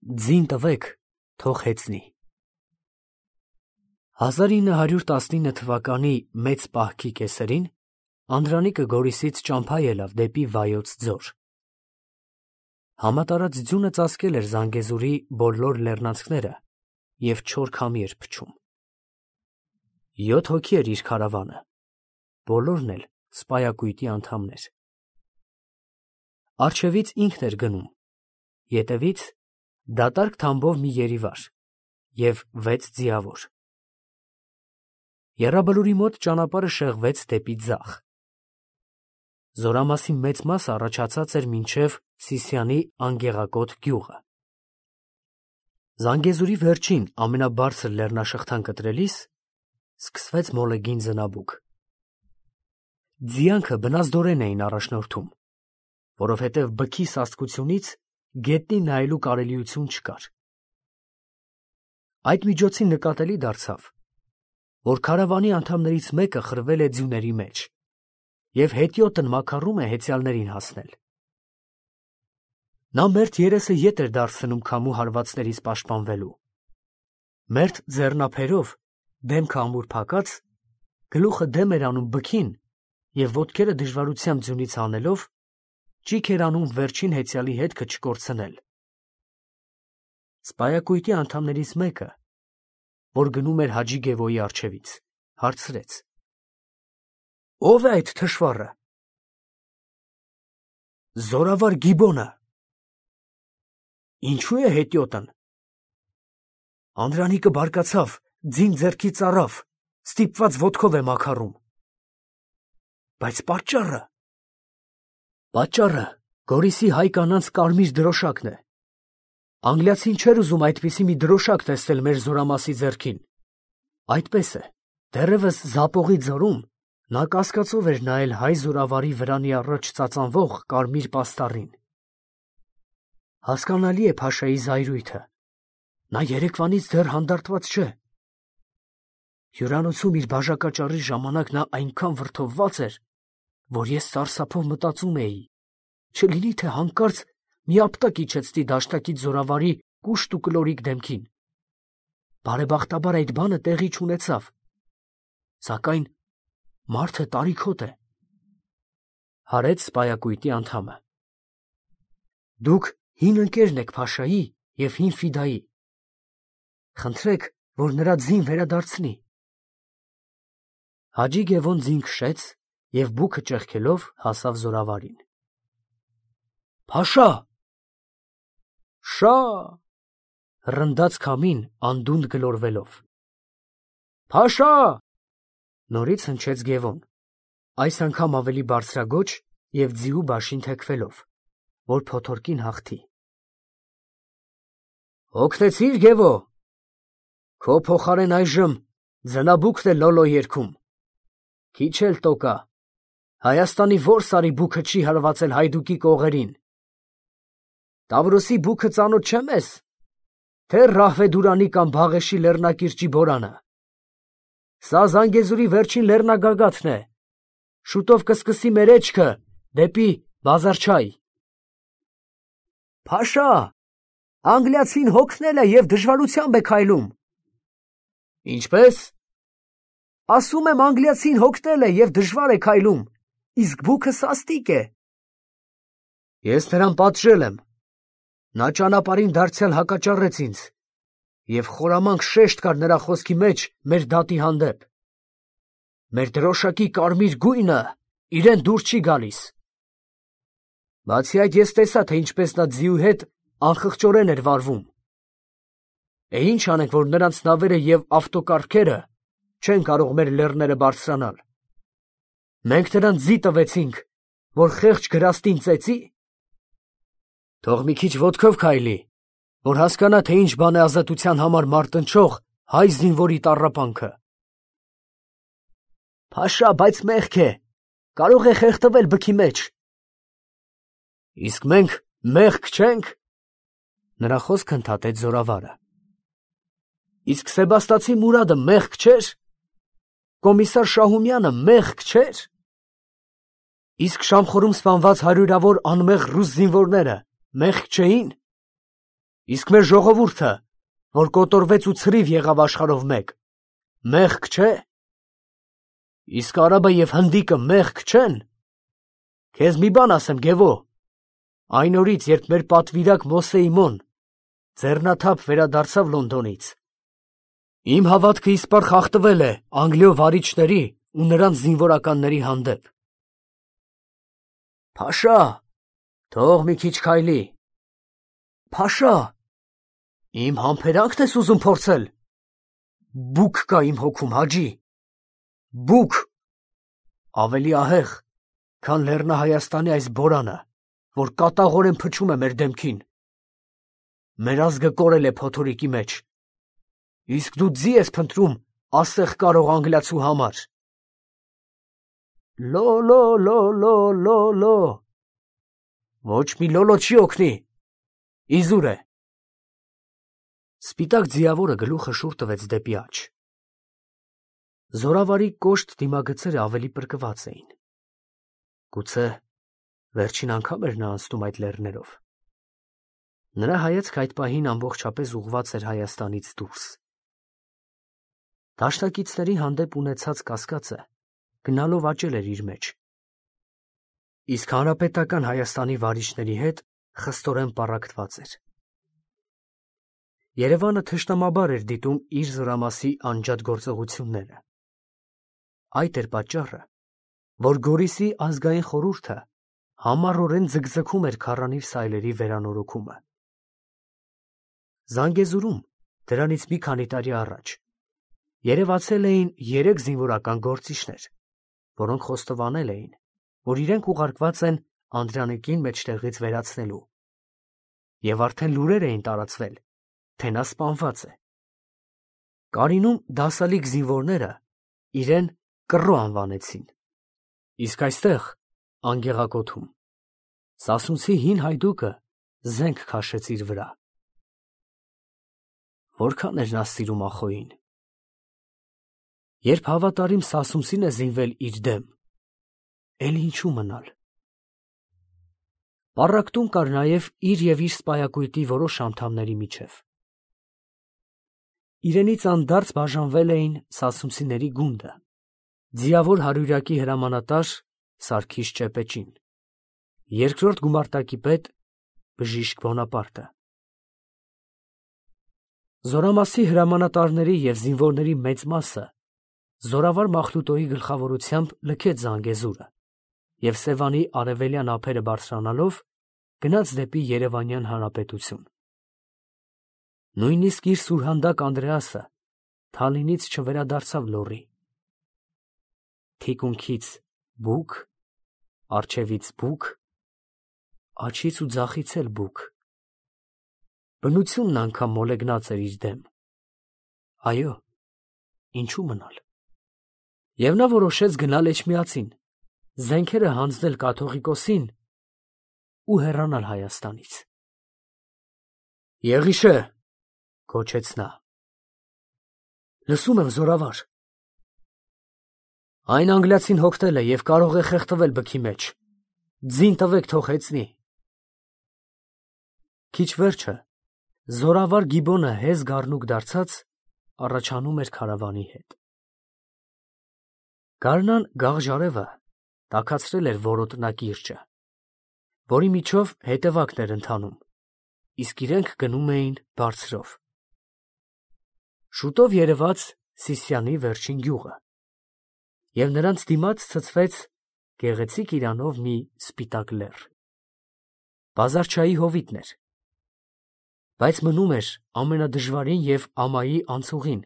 ձին տվեք, թող հեծնի։ 1919 թվականի մեծ պահքի կեսերին Անդրանիկը Գորիսից ճամփա ելավ դեպի Վայոց ձոր։ Համատարած ձյունը ծածկել էր Զանգեզուրի բոլոր լեռնանցքները և չոր քամի էր փչում։ 7 հոգի էր իր քարավանը, բոլորն էլ սպայակույտի անդամներ։ Առջևից ինքն էր գնում, ետևից դատարկ թամբով մի երիվար և 6 ձիավոր։ Եռաբլուրի մոտ ճանապարհը շեղվեց դեպի ձախ։ Զորամասի մեծ մասը առաջացած էր մինչև Սիսիանի Անգեղակոտ գյուղը։ Զանգեզուրի վերջին ամենաբարձր լեռնաշղթան կտրելիս սկսվեց մոլեգին ձնաբուք։ Ձիանքը բնազդորեն էին առաջնորդում, որովհետև բքի սաստկությունից գետնին նայելու կարելիություն չկար։ Այդ միջոցին նկատելի դարձավ, որ քարավանի անդամներից մեկը խրվել է ձյուների մեջ և հետիոտն մաքարում է հեծյալներին հասնել։ Նա մերթ երեսը ետ էր դարձնում քամու հարվածներից պաշտպանվելու։ Մերթ ձեռնափերով, դեմքը ամուր փակած, գլուխը դեմ էր անում բքին և ոտքերը դժվարությամբ ձյունից հանելով, ճիգ էր անում վերջին հեծյալի հետքը չկորցնել։ Սպայակույտի անդամներից մեկը, որ գնում էր Հաջի Գևոյի առջևից, հարցրեց. «Ո՞վ է այդ թշվառը»։ «Զորավար Գիբոնը»։ «Ինչու է հետիոտն»։ Անդրանիկը բարկացավ, ձին ձեռքից առավ, ստիպված ոտքով է մաքարում։ «Բայց պատճառը»։ «Պատճառը Գորիսի հայ կանանց կարմիր դրոշակն է։ Անգլիացին չէր ուզում այդպիսի մի դրոշակ տեսնել մեր զորամասի ձեռքին։ Այդպես է, դեռևս Զապողի ձորում նա կասկածով էր նայել հայ զորավարի վրանի առաջ ծածանվող կարմիր պաստառին։ Հասկանալի է Փաշայի զայրույթը, նա երեկվանից դեռ հանդարտված չէ։ Հյուրանոցում իր բաժակաճառի ժամանակ նա այնքան վրդովված էր, որ ես սարսափով մտածում էի, չլինի թե հանկարծ մի ապտակ իջեցնի դաշնակից զորավարի կուշտ ու կլորիկ դեմքին։ Բարեբախտաբար այդ բանը տեղի չունեցավ, սակայն մարդը տարիքոտ է։ Հարեց սպայակույտի անդամը։ Դուք հին ընկերն եք Փաշայի և հին Ֆիդայի։ Խնդրեք, որ նրա ձին վերադարձնի։ Հաջի Գևոն ձին քշեց և բուքը ճեղքելով հասավ զորավարին։ «Փաշա»։ «Շա»։ Ռնդաց քամին անդունդը գլորվելով։ «Փաշա»։ Նորից հնչեց Գևոն, այս անգամ ավելի բարձրաձոչ և ձիու բաշին թեքվելով, որ փոթորկին հաղթի։ «Հոգնեցի՞ր, Գևո»։ «Քո փոխարեն այժմ ձնաբուքն է լոլո երգում։ Քիչ էլ տոկա, Հայաստանի ո՞ր սարի բուքը չի հարվածել հայդուկի կողերին։ Տավրոսի բուքը ծանոթ չէ մեզ, թե Ռահվեդուրանի կամ Բաղեշի լեռնակիրճի բորանը։ Սա Զանգեզուրի վերջին լեռնագագաթն է, շուտով կսկսի մեր էջքը դեպի Բազարչայ»։ «Փաշա, անգլիացին հոգնել է և դժվարությամբ է քայլում»։ «Ինչպե՞ս»։ «Ասում եմ, անգլիացին հոգնել է և դժվար է քայլում, իսկ բուքը սաստիկ է»։ «Ես նրան պատժել եմ, նա ճանապարհին դարձյալ հակաճառեց ինձ, և խորամանկ շեշտ կար նրա խոսքի մեջ մեր դատի հանդեպ։ Մեր դրոշակի կարմիր գույնը իրան դուր չի գալիս։ Բացի այդ, ես տեսա, թե ինչպես նա ձիու հետ անխղճորեն էր վարվում։ Ինչ անենք, որ նրանց նավերը և ավտոկառքերը չեն կարող մեր լեռները բարձրանալ։ Մենք նրան ձի տվեցինք, որ խեղճ գրաստին ծեծի։ Թող մի քիչ ոտքով քայլի, որ հասկանա, թե ինչ բան է ազատության համար մարտնչող հայ զինվորի տառապանքը»։ «Փաշա, բայց մեղք է, կարող է խեղդվել բքի մեջ»։ «Իսկ մենք մեղք չենք»։ Նրա խոսքը ընդհատեց զորավարը։ «Իսկ Սեբաստացի Մուրադը մեղք չէր։ Կոմիսար Շահումյանը մեղք չէր։ Իսկ Շամխորում սպանված հարյուրավոր անմեղ ռուս զինվորները մեղք չէին։ Իսկ մեր ժողովուրդը, որ կոտորվեց ու ցրիվ եղավ աշխարհով մեկ, մեղք չէ։ Իսկ արաբը եւ հնդիկը մեղք չեն։ Քեզ մի բան ասեմ, Գևո, այն օրից, երբ մեր պատվիրակ Մոսեի մոն ձեռնաթափ վերադարձավ Լոնդոնից, իմ հավատքը իսպառ խախտվել է Անգլիո վարիչների ու նրանց զինվորականների հանդեպ։ Փաշա, թող մի քիչ քայլի։ Փաշա, իմ համբերանքն ես ուզում փորձել։ Բուք կա իմ հոգում, Հաջի, բուք, ավելի ահեղ, քան Լեռնահայաստանի այս բորանը, որ կատաղորեն փչում է մեր դեմքին։ Մեր ազգը կորել է փոթորիկի մեջ, իսկ դու ձի ես փնտրում ասեղ կարող անգլիացու համար։ Լո, լո, լո, լո, լո, լո, ոչ մի լոլո չի օգնի, իզուր է։ Սպիտակ ձիավորը գլուխը շուռ տվեց դեպի աջ։ Զորավարի կոշտ դիմագծերը ավելի պրկված էին։ Գուցե վերջին անգամ էր նա անցնում այդ լեռներով։ Նրա հայացքը այդ պահին ամբողջապես ուղղված էր Հայաստանից դուրս։ Դաշնակիցների հանդեպ ունեցած կասկածը գնալով աճել էր իր մեջ։ Իսկ հանրապետական Հայաստանի վարիչների հետ խստորեն պառակտված էր։ Երևանը թշնամաբար էր դիտում իր զորամասի անջատ գործողությունները։ Այդ էր պատճառը, որ Գորիսի ազգային խորհուրդը համառորեն ձգձգում էր քառանիվ սայլերի վերանորոգումը։ Զանգեզուրում դրանից մի քանի տարի առաջ երևացել էին 3 զինվորական գործիչներ, որոնք խոստովանել էին, որ իրենք ուղարկված են Անդրանիկին մեջտեղից վերացնելու, եւ արդեն լուրեր էին տարածվել, թե նա սպանված է։ Կարինում դասալիկ զինվորները իրեն կռո անվանեցին, իսկ այստեղ, Անգեղակոթում, Սասունցի հին հայդուկը զենք քաշեց իր վրա։ Որքան էր նա սիրում Ախոյին։ Երբ հավատարիմ Սասունցին է զինվել իր դեմ, էլ ինչու մնալ։ Պառակտում կար նաև իր և իր սպայակույտի որոշ անդամների միջև։ Իրենից անդարձ բաժանվել էին Սասունցիների գունդը, ձիավոր հարյուրյակի հրամանատար Սարգիս Ճեպեճին, երկրորդ գումարտակի պետ Բժիշկ Բոնապարտը։ Զորամասի հրամանատարների և զինվորների մեծ մասը զորավար Մախլուտոյի գլխավորությամբ լքեց Զանգեզուրը և Սևանի արևելյան ափերը բարձրանալով գնաց դեպի Երևանյան Հանրապետություն։ Նույնիսկ իր սուրհանդակ Անդրեասը Թալինից չվերադարձավ լոռի։ Թիկունքից բուք, առջևից բուք, աջից ու ձախից էլ բուք։ Բնությունն անգամ մոլեգնած էր իր դեմ։ Այո, ինչու մնալ։ Եվ նա որոշեց գնալ Էջմիածին, զենքերը հանձնել կաթողիկոսին ու հեռանալ Հայաստանից։ Եղիշե, գոչեց նա։ Լսում եմ, զորավար։ Այն անգլիացին հոգնել է և կարող է խեղդվել բքի մեջ։ Ձին տվեք, թող հեծնի։ Քիչ վերջը զորավար Գիբոնը հեզ գառնուկ դարձած առաջանում էր քարավանի հետ։ Գարնան գաղ տաքացրել էր որոտնակիրճը, որի միջով հետևակն էր ընթանում, իսկ իրենք գնում էին բարձրով։ Շուտով երևաց Սիսիանի վերջին գյուղը, և նրանց դիմաց ցցվեց գեղեցիկ իրանով մի սպիտակ լեռ։ Բազարչայի հովիտն էր, բայց մնում էր ամենադժվարին և ամայի անցուղին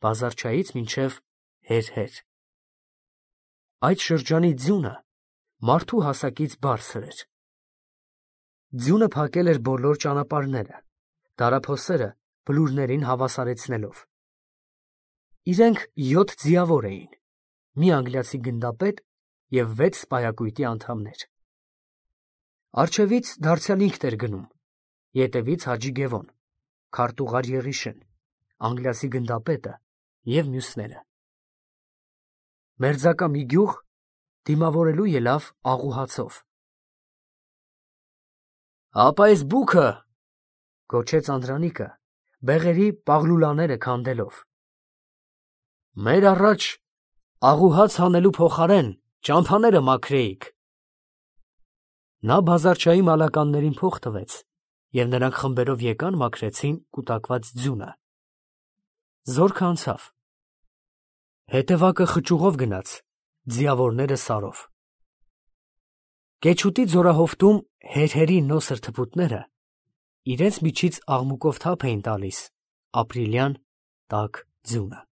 Բազարչայից մինչև Հերհեր։ Այդ շրջանի ձյունը մարդու հասակից բարձր էր։ Ձյունը փակել էր բոլոր ճանապարհները, դարափոսերը բլուրներին հավասարեցնելով։ Իրենք 7 ձիավոր էին, մի անգլիացի գնդապետ և 6 սպայակույտի անդամներ։ Առջևից դարձյալ ինքն էր գնում, ետևից Հաջի Գևոն, քարտուղար Եղիշեն, անգլիացի գնդապետը և մյուսները։ Մերձակա մի գյուղ դիմավորելու ելավ աղուհացով։ Ապա այս բուքը, Գոչեց Անդրանիկը, բեղերի պաղլուլաները քանդելով։ Մեր առաջ աղուհաց հանելու փոխարեն ճամփաները մաքրեիք։ Նա բազարչայի մալականներին փող տվեց, և նրանք խմբերով եկան մաքրեցին կուտակված ձյունը։ Զորքը անցավ։ Հետևակը խճուղով գնաց, ձիավորները սարով։ Կեչուտի ձորահովտում հերհերի նոսր թփուտները իրենց միջից աղմուկով թափ էին տալիս ապրիլյան տաք ձյունը։